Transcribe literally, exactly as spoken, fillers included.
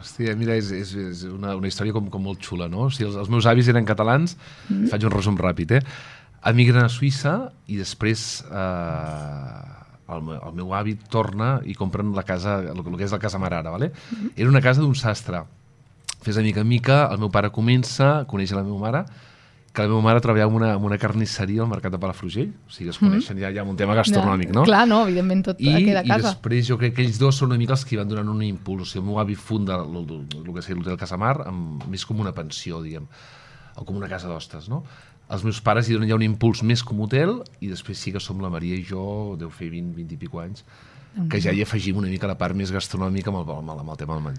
Hòstia, mira, és, és, és una, una història com, com molt xula, no? O sigui, els, els meus avis eren catalans, mm. faig un resum ràpid, eh? Emigren a Suïssa i després eh, el, meu, el meu avi torna i compren la casa, el, el que és la casa mare ara, ¿vale? Mm. Era una casa d'un sastre. Fes de mica en mica, el meu pare comença a conèixer la meva mare, que la meva mare treballava en una, en una carnisseria al mercat de Palafrugell, o sigui, es coneixen, mm. ja hi ha un tema gastronòmic, no? Clar, no, evidentment tot I, queda a casa. I després jo crec que ells dos són una mica els que van donant un impuls, o sigui, el meu avi funda el, el, el que seria l'Hotel Casamar, amb, més com una pensió, diguem, o com una casa d'hostes, no? Els meus pares hi donen ja un impuls més com hotel, i després sí que som la Maria i jo, deu fer vint, vint i pico anys, que ja hi afegim una mica la part més gastronòmica amb el, amb el, amb el tema del menjar.